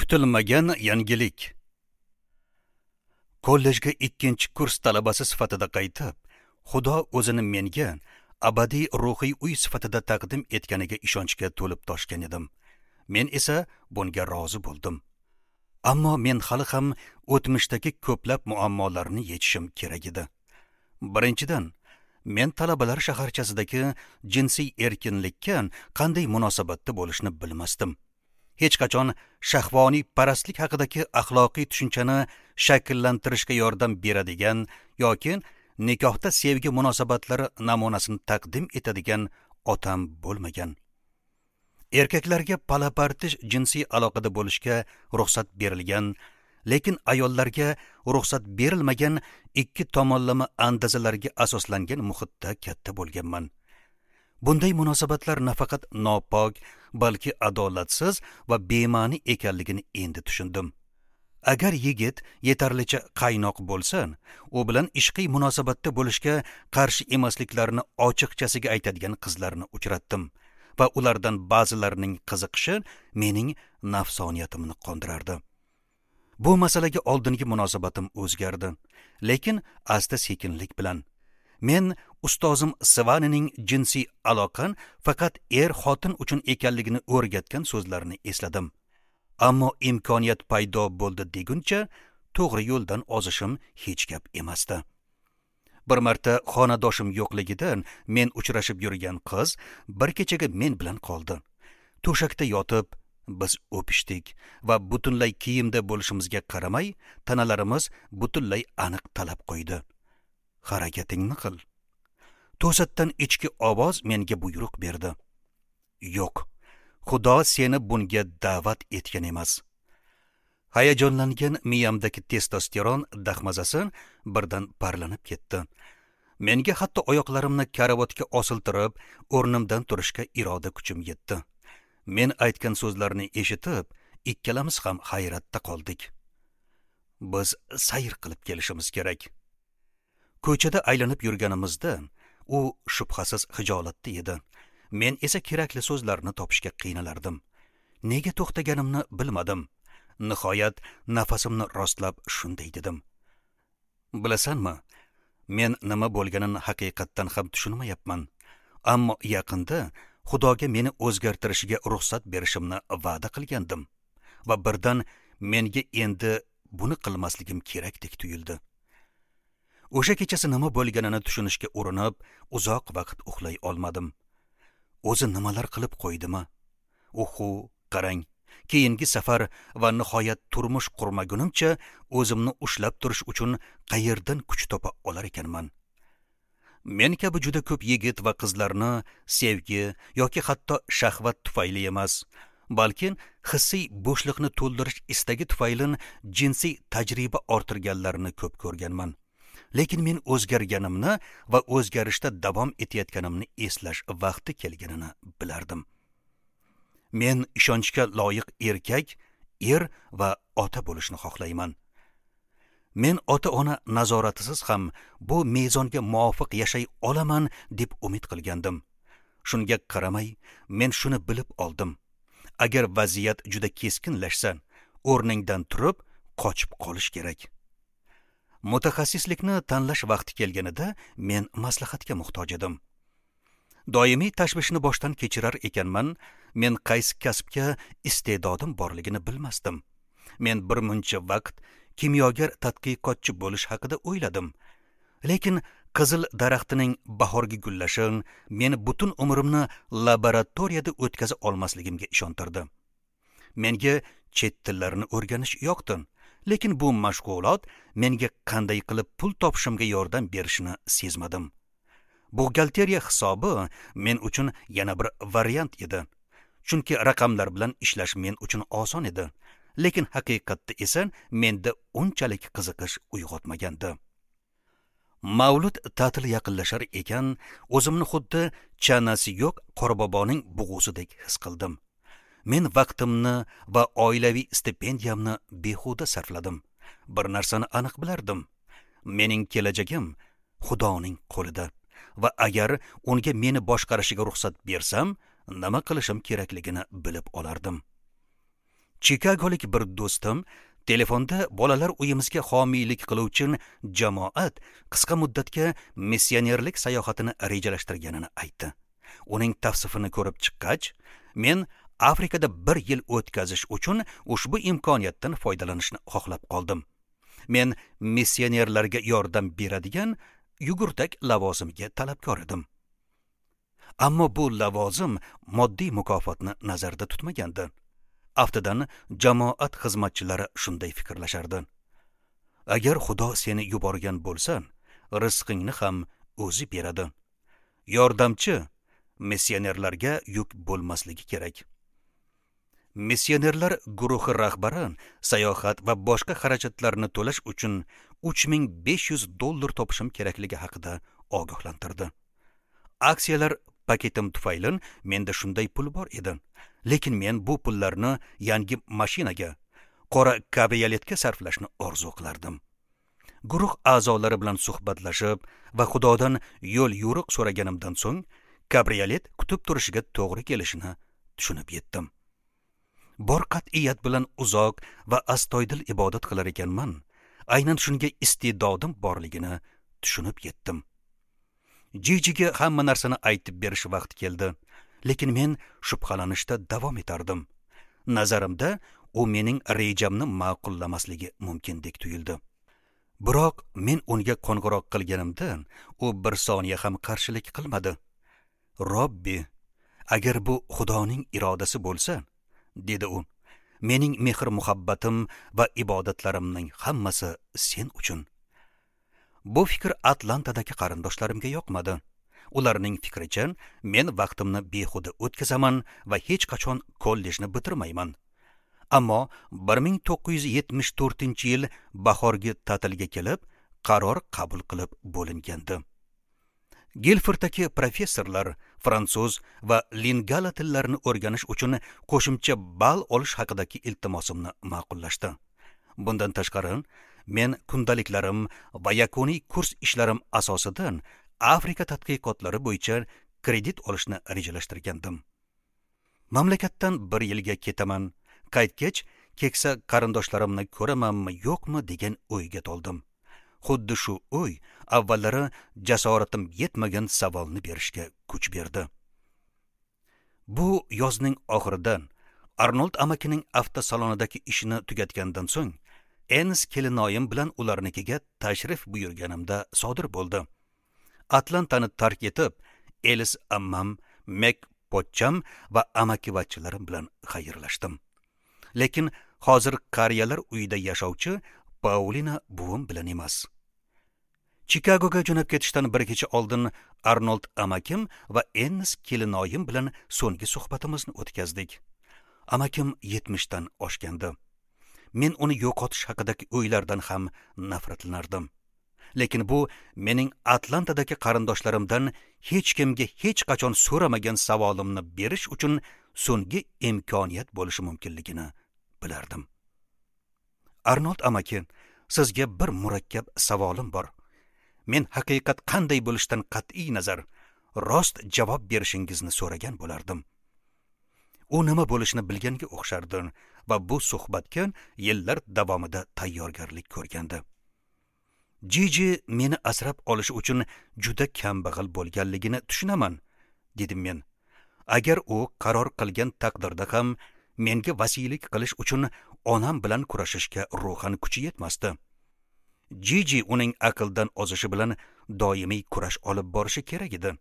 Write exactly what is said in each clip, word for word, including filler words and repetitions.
Kutilmagan yangilik. Kollejga ikkinchi kurs talabasi sifatida qaytib, Xudo o'zini menga abadiy ruhiy uy sifatida taqdim etganiga ishonchga to'lib toshgan edim. Men esa bunga rozi bo'ldim. Ammo men hali ham o'tmishdagi ko'plab muammolarni yechishim kerak edi. Birinchidan, men talabalar shaharchasidagi jinsiy erkinlikka qanday munosabatda bo'lishni bilmasdim. Hech qachon shahvoniy parastlik haqidagi axloqiy tushunchani shakllantirishga yordam beradigan yoki nikohda sevgi munosabatlari namunasini taqdim etadigan otam bo'lmagan. Erkaklarga palapartish jinsiy aloqada bo'lishga ruxsat berilgan, lekin ayollarga ruxsat berilmagan ikki tomonlama andazalarga asoslangan muhitda katta bo'lganman. Bunday munosabatlar nafaqat nopok, balki adolatsiz va bema'ni ekanligini endi tushundim. Agar yigit yetarlicha qaynoq bo'lsa, u bilan ishqiy munosabatda bo'lishga qarshi emasliklarini ochiqchasiga aytadigan qizlarni uchratdim va ulardan ba'zilarining qiziqishi mening nafsoniyatimni qondirardi. Bu masalaga oldingi munosabatim o'zgardi, lekin asta-sekinlik bilan. Men ustozim Svanining jinsiy aloqa faqat er-xotin uchun ekanligini o'rgatgan so'zlarini esladim. Ammo imkoniyat paydo bo'ldi deguncha to'g'ri yo'ldan ozishim hech gap emasdi. Bir marta xonadoshim yo'qligidan men uchrashib yurgan qiz bir kechaga men bilan qoldi. To'shakda yotib biz o'pishdik va butunlay kiyimda bo'lishimizga qaramay tanalarimiz butunlay aniq talab qo'ydi. Harakatingni qil. To'satdan ichki ovoz menga buyruq berdi. Yo'q, Xudo seni bunga da'vat etgan emas. Hayajonlangan miyamdagi testosteron dahmazasi birdan parlanib ketdi. Menga hatto oyoqlarimni karavotga osiltirib, o'rnimdan turishga iroda kuchim yetdi. Men aytgan so'zlarni eshitib, ikkalamiz ham hayratda qoldik. Biz sayr qilib kelishimiz kerak. Ko'chada aylanib yurganimizda u shubhasiz xijolatda edi. Men esa kerakli so'zlarni topishga qiynalardim. Nega to'xtaganimni bilmadim. Nihoyat nafasimni rostlab shunday dedim. Bilasanmi, men nima bo'lganini haqiqatdan ham tushunmayapman. Ammo yaqinda Xudoga meni o'zgartirishiga ruxsat berishimni va'da qilgandim va birdan menga endi buni qilmasligim kerakdek tuyuldi. O'sha kechasi nima bo'lganini tushunishga urinib, uzoq vaqt uxlay olmadim. O'zi nimalar qilib qo'ydimi? Uhu, qarang, keyingi safar va nihoyat turmush qurmagunimcha o'zimni ushlab turish uchun qayerdan kuch topa olar ekanman? Men kabi juda ko'p yigit va qizlarni sevgi yoki hatto shahvat tufayli emas, balki hissiy bo'shliqni to'ldirish istagi tufayli jinsiy tajriba orttirganlarini ko'p ko'rganman. Lekin men o'zgarganimni va o'zgarishda davom etayotganimni eslash vaqti kelganini bilardim. Men ishonchga loyiq erkak, er va ota bo'lishni xohlayman. Men ota-ona nazoratisiz ham bu mezonga muvofiq yashay olaman deb umid qilgandim. Shunga qaramay, men shuni bilib oldim. Agar vaziyat juda keskinlashsa, o'rningdan turib qochib qolish kerak. Mutaxassislikni tanlash vaqti kelganida men maslahatga muhtoj edim. Doimiy tashvishni boshdan kechirar ekanman, men qaysi kasbga iste'dodim borligini bilmasdim. Men bir muncha vaqt kimyoger tadqiqotchi bo'lish haqida o'yladim. Lekin qizil daraxtining bahorgi gullashi meni butun umrimni laboratoriyada o'tkaza olmasligimga ishontirdi. Menga chet tillarini o'rganish yoqdi. Lekin bu mashg'ulot menga qanday qilib pul topishimga yordam berishini sezmadim. Buxgalteriya hisobi men uchun yana bir variant edi. Chunki raqamlar bilan ishlash men uchun oson edi. Lekin haqiqatda esa menda unchalik qiziqish uyg'otmagandi. Mavlud ta'tili yaqinlashar ekan, o'zimni xuddi chanasi yo'q qorboboning bug'usidek his qildim. Men vaqtimni va oilaviy stipendiyamni behuda sarfladim. Bir narsani aniq bilardim. Mening kelajagim Xudoning qo'lida va agar unga meni boshqarishiga ruxsat bersam, nima qilishim kerakligini bilib olardim. Chikagolik bir do'stim telefonda bolalar uyimizga homiylik qiluvchi jamoat qisqa muddatga missionerlik sayohatini rejalashtirganini aytdi. Uning tavsifini ko'rib chiqqach, men Afrikada bir yil o'tkazish uchun ushbu imkoniyatdan foydalanishni xohlab qoldim. Men missionerlarga yordam beradigan yugurtak lavozimiga talabgor edim. Ammo bu lavozim moddiy mukofotni nazarda tutmagandi. Aftidan jamoat xizmatchilari shunday fikrlashardi. Agar Xudo seni yuborgan bo'lsa, rizqingni ham o'zi beradi. Yordamchi missionerlarga yuk bo'lmasligi kerak. Missionerlar guruhi rahbari sayohat va boshqa xarajatlarni to'lash uchun uch ming besh yuz dollar topishim kerakligi haqida ogohlantirdi. Aksiyalar paketim tufayli menda shunday pul bor edi. Lekin men bu pullarni yangi mashinaga, qora kabrioletga sarflashni orzu qilardim. Guruh a'zolari bilan suhbatlashib va Xudodan yo'l yo'riq so'raganimdan so'ng kabriolet kutib turishiga to'g'ri kelishini tushunib yetdim. Bor qat'iyat bilan uzoq va astoydil ibodat qilar ekanman, aynan shunga iste'dodim borligini tushunib yetdim. Jijiga hamma narsani aytib berish vaqti keldi, lekin men shubhalanishda davom etardim. Nazarimda u mening rejamni ma'qullamasligi mumkindek tuyuldi. Biroq men unga qo'ng'iroq qilganimda u bir soniya ham qarshilik qilmadi. Robbi, agar bu Xudoning irodasi bo'lsa, dedi u, mening mehr-muhabbatim va ibodatlarimning hammasi sen uchun. Bu fikr Atlantadagi qarindoshlarimga yoqmadi. Ularning fikricha, men vaqtimni behuda o'tkazaman va hech qachon kollejni bitirmayman. Ammo bir ming to'qqiz yuz yetmish to'rtinchi yil bahorgi ta'tilga kelib, qaror qabul qilib bo'lingandi. Gilforddagi professorlar fransuz va lingala tillarini o'rganish uchun qo'shimcha ball olish haqidagi iltimosimni ma'qullashdi. Bundan tashqari, men kundaliklarim va yakuniy kurs ishlarim asosida Afrika tadqiqotlari bo'yicha kredit olishni rejalashtirgandim. Mamlakatdan bir yilga ketaman, qaytgach keksa qarindoshlarimni ko'ramanmi yo'qmi degan o'yga to'ldim. Xuddi shu o'y avvallari jasoratim yetmagan savolni berishga kuch berdi. Bu yozning oxirida Arnold amakining avtosalonidagi ishini tugatgandan so'ng Enis kelinoyim bilan ularnikiga tashrif buyurganimda sodir bo'ldi. Atlantani tark etib, Elis ammam, Mek pochcham va amakivachilarim bilan xayrlashdim. Lekin hozir qariyalar uyida yashovchi Paulina buvim bilan emas. Chikagoga jo'nab ketishdan bir kecha oldin Arnold amakim va Ennis kelinoyim bilan so'nggi suhbatimizni o'tkazdik. Amakim yetmishdan oshgandi. Men uni yo'qotish haqidagi o'ylardan ham nafratlanardim. Lekin bu mening Atlantadagi qarindoshlarimdan hech kimga hech qachon so'ramagan savolimni berish uchun so'nggi imkoniyat bo'lishi mumkinligini bilardim. Arnold amaki, sizga bir murakkab savolim bor. Men haqiqat qanday bo'lishidan qat'iy nazar rost javob berishingizni so'ragan bo'lardim. U nima bo'lishini bilganga o'xshardi va bu suhbatga yillar davomida tayyorgarlik ko'rgandi. Jiji meni asrab olish uchun juda kambag'al bo'lganligini tushunaman, dedim men. Agar u qaror qilgan taqdirda ham menga vasiylik qilish uchun onam bilan kurashishga ruhan kuchi yetmasdi. Jiji uning aqldan ozishi bilan doimiy kurash olib borishi kerak edi.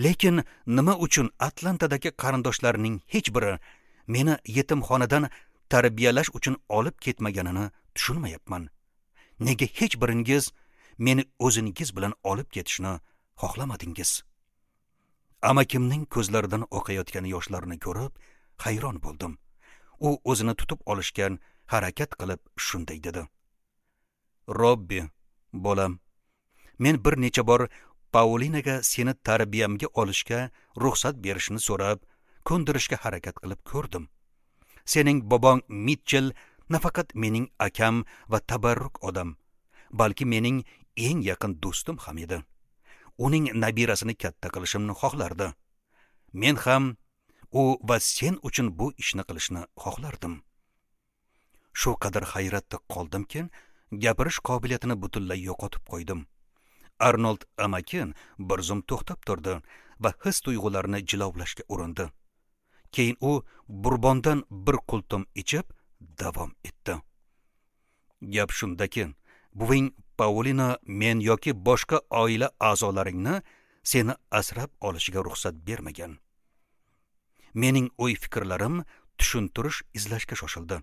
Lekin nima uchun Atlantadagi qarindoshlarining hech biri meni yetimxonadan tarbiyalash uchun olib ketmaganini tushunmayapman. Nega hech biringiz meni o'zingiz bilan olib ketishni xohlamadingiz? Amakimning ko'zlaridan oqayotgan yoshlarni ko'rib hayron bo'ldim. U o'zini tutib olishga harakat qilib shunday dedi: Robbi, bolam, men bir necha bor Paulinaga seni tarbiyamga olishga ruxsat berishini so'rab, ko'ndirishga harakat qilib ko'rdim. Sening bobong Mitchell nafaqat mening akam va tabarruk odam, balki mening eng yaqin do'stim ham edi. Uning nabirasini katta qilishimni xohlardi. Men ham u va sen uchun bu ishni qilishni xohlardim. Shu qadar hayratda qoldimki, gapirish qobiliyatini butunlay yo'qotib qo'ydim. Arnold amaki bir zum to'xtab turdi va his tuyg'ularini jilovlashga urindi. Keyin u burbondan bir qultum ichib davom etdi. Gap shundaki, buving Paulina men yoki boshqa oila a'zolaringni seni asrab olishiga ruxsat bermagan. Mening o'y-fikrlarim tushuntirish izlashga shoshildi.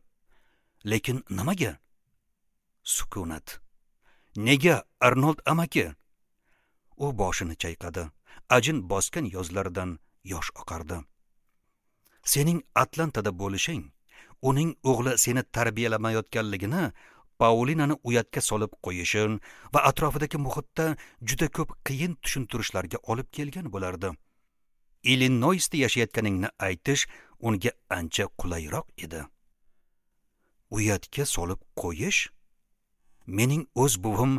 Lekin nimaga? Sukunat. Nega, Arnold amaki? U boshini chayqadi. Ajin bosgan yozlaridan yosh oqardi. Sening Atlantada bo'lishing, uning o'g'li seni tarbiyalamayotganligini Paulinani uyatga solib qo'yishin va atrofidagi muhitda juda ko'p qiyin tushuntirishlarga olib kelgan bo'lardi. Illinoisda yashayotganingni aytish unga ancha qulayroq edi. Uyatga solib qo'yish? Mening o'z buvim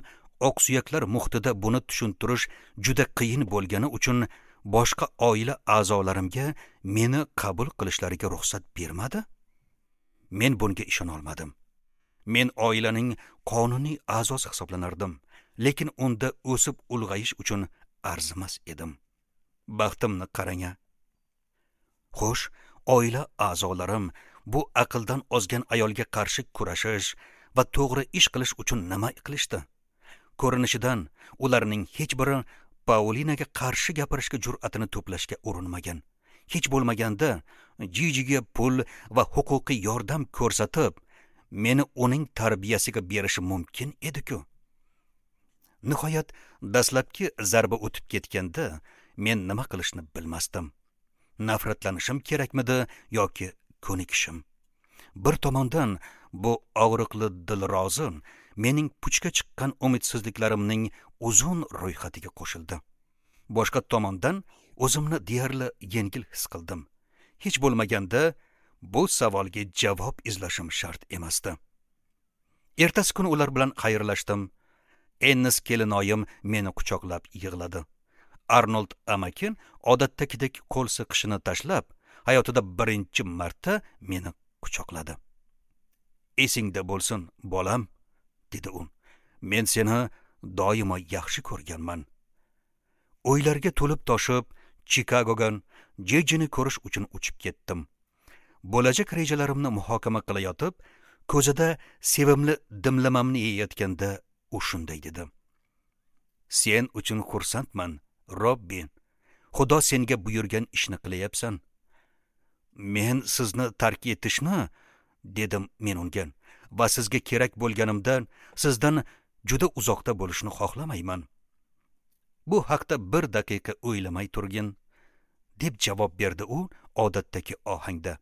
oqsuyaklar muhitida buni tushuntirish juda qiyin bo'lgani uchun boshqa oila a'zolarimga meni qabul qilishlariga ruxsat bermadi. Men bunga ishona olmadim. Men oilaning qonuniy a'zosi hisoblanardim, lekin unda o'sib ulg'ayish uchun arzimas edim. Baxtimni qarang-a. Xo'sh, oila a'zolarim bu aqldan ozgan ayolga qarshi kurashish va to'g'ri ish qilish uchun nima qilishdi? Ko'rinishidan ularning hech biri Paulinaga qarshi gapirishga jur'atini to'plashga urinmagan. Hech bo'lmaganda Jijiga pul va huquqiy yordam ko'rsatib, meni uning tarbiyasiga berishi mumkin edi-ku. Nihoyat dastlabki zarba o'tib ketganda men nima qilishni bilmasdim. Nafratlanishim kerakmidi yoki ko'nikishim? Bir tomondan bu og'riqli dilrozi mening puchga chiqqan umidsizliklarimning uzun ro'yxatiga qo'shildi. Boshqa tomondan o'zimni deyarli yengil his qildim. Hech bo'lmaganda bu savolga javob izlashim shart emasdi. Ertasi kuni ular bilan xayrlashdim. Ennis kelinoyim meni quchoqlab yig'ladi. Arnold amaki odatdagidek qo'l siqishini tashlab, hayotida birinchi marta meni quchoqladi. Esingda bo'lsin, bolam, dedi u. Men seni doimo yaxshi ko'rganman. O'ylarga to'lib toshib, Chikagoga Jejini ko'rish uchun uchib ketdim. Bo'lajak rejalarimni muhokama qilayotib, ko'zida sevimli dimlamamni yeyotganda u shunday dedi. Sen uchun xursandman, Robbi. Xudo senga buyurgan ishni qilayapsan. Men sizni tark etishni, dedim men unga, va sizga kerak bo'lganimda sizdan juda uzoqda bo'lishni xohlamayman. Bu haqda bir daqiqa o'ylamay turgin, deb javob berdi u odatdagi ohangda.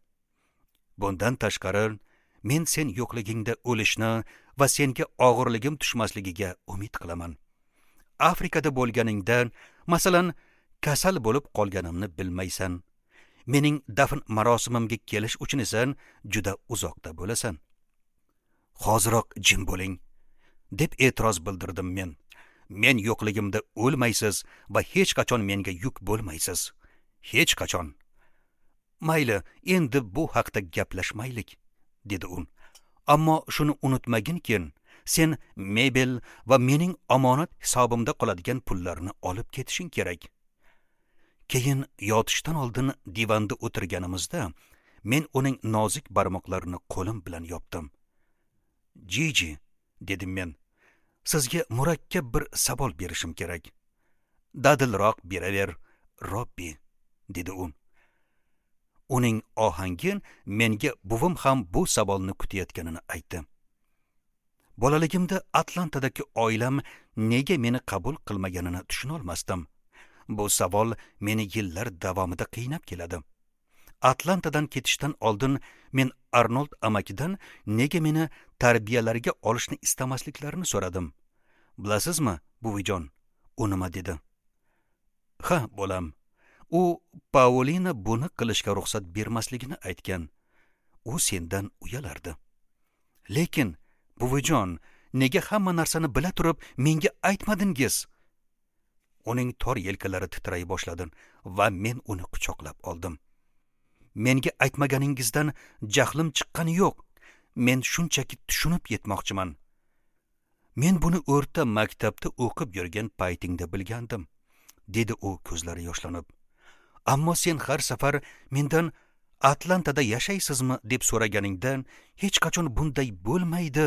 Bundan tashqari, men sen yo'qligingda o'lishni va senga og'irligim tushmasligiga umid qilaman. Afrikada bo'lganingda, masalan, kasal bo'lib qolganimni bilmaysan. Mening dafn marosimimga kelish uchun esa juda uzoqda bo'lasan. Hoziroq jim bo'ling, deb e'tiroz bildirdim men. Men yo'qligimda o'lmaysiz va hech qachon menga yuk bo'lmaysiz. Hech qachon. Mayli, endi bu haqda gaplashmaylik, dedi u. Ammo shuni unutmaginki, sen mebel va mening omonat hisobimda qoladigan pullarni olib ketishing kerak. Keyin yotishdan oldin divanda o'tirganimizda men uning nozik barmoqlarini qo'lim bilan yopdim. Jiji, dedim men, sizga murakkab bir savol berishim kerak. Dadilroq beraver, Robbi, dedi u. Uning ohangi menga buvim ham bu savolni kutayotganini aytdi. Bolaligimda Atlantadagi oilam nega meni qabul qilmaganini tushuna olmasdim. Bu savol meni yillar davomida qiynab keladi. Atlantadan ketishdan oldin men Arnold amakidan nega meni tarbiyalariga olishni istamasliklarini so'radim. Bilasizmi, buvijon, u nima dedi? Ha, bolam. U Paulina buni qilishga ruxsat bermasligini aytgan. U sendan uyalardi. Lekin, buvijon, nega hamma narsani bila turib menga aytmadingiz? Uning tor yelkalari titray boshladi va men uni quchoqlab oldim. Menga aytmaganingizdan jahlim chiqqani yo'q. Men shunchaki tushunib yetmoqchiman. Men buni o'rta maktabda o'qib yurgan paytingda bilgandim, dedi u ko'zlari yoshlanib. Ammo sen har safar mendan Atlantada yashaysizmi deb so'raganingda hech qachon bunday bo'lmaydi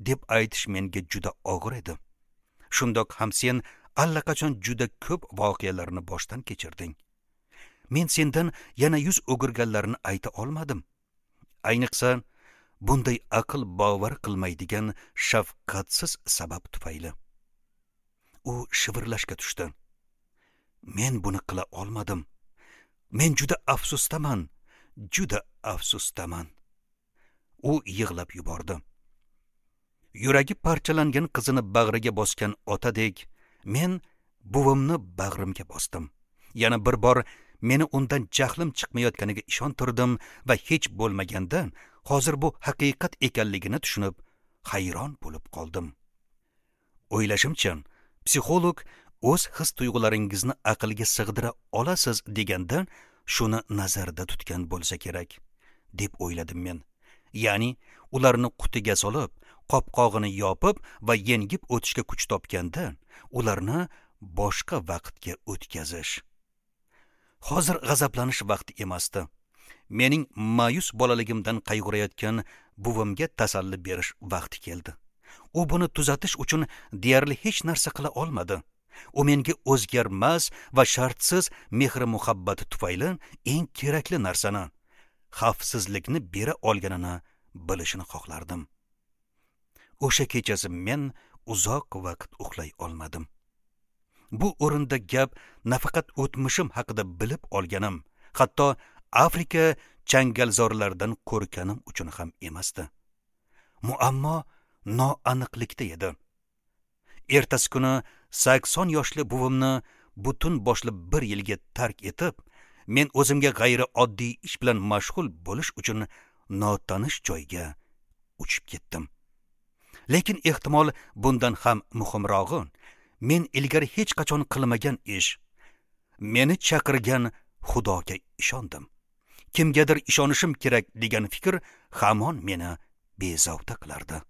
deb aytish menga juda og'ir edi. Shundoq ham sen allaqachon juda ko'p voqealarni boshdan kechirding. Men sendan yana yuz o'girganlarni ayta olmadim. Ayniqsa bunday aql bovar qilmaydigan shafqatsiz sabab tufayli. U shivirlashga tushdi. Men buni qila olmadim. Men juda afsusdaman, juda afsusdaman. U yig'lab yubordi. Yuragi parchalangan qizini bag'riga bosgan otadek men buvimni bag'rimga bosdim. Yana bir bor meni undan jahlim chiqmayotganiga ishontirdim va hech bo'lmaganda hozir bu haqiqat ekanligini tushunib hayron bo'lib qoldim. O'ylashimcha, psixolog o'z his tuyg'ularingizni aqlga sig'dira olasiz deganda shuni nazarda tutgan bo'lsa kerak, deb o'yladim men. Ya'ni ularni qutiga solib, qopqog'ini yopib va yengib o'tishga kuch topganda ularni boshqa vaqtga o'tkazish. Hozir g'azablanish vaqti emasdi. Mening ma'yus bolaligimdan qayg'urayotgan buvimga tasalli berish vaqti keldi. U buni tuzatish uchun deyarli hech narsa qila olmadi. U menga o'zgarmas va shartsiz mehr-muhabbati tufayli eng kerakli narsani, xavfsizlikni bera olganini bilishini xohlardim. O'sha kechasi men uzoq vaqt uxlay olmadim. Bu o'rinda gap nafaqat o'tmishim haqida bilib olganim, hatto Afrika changalzorlaridan qo'rqqanim uchun ham emasdi. Muammo noaniqlikda edi. Ertasi kuni sakson yoshli buvimni butun boshli bir yilga tark etib, men o'zimga g'ayrioddiy ish bilan mashg'ul bo'lish uchun notanish joyga uchib ketdim. Lekin ehtimol bundan ham muhimrog'i, men ilgari hech qachon qilmagan ish, meni chaqirgan Xudoga ishondim. Kimgadir ishonishim kerak degan fikr hamon meni bezovta qilardi.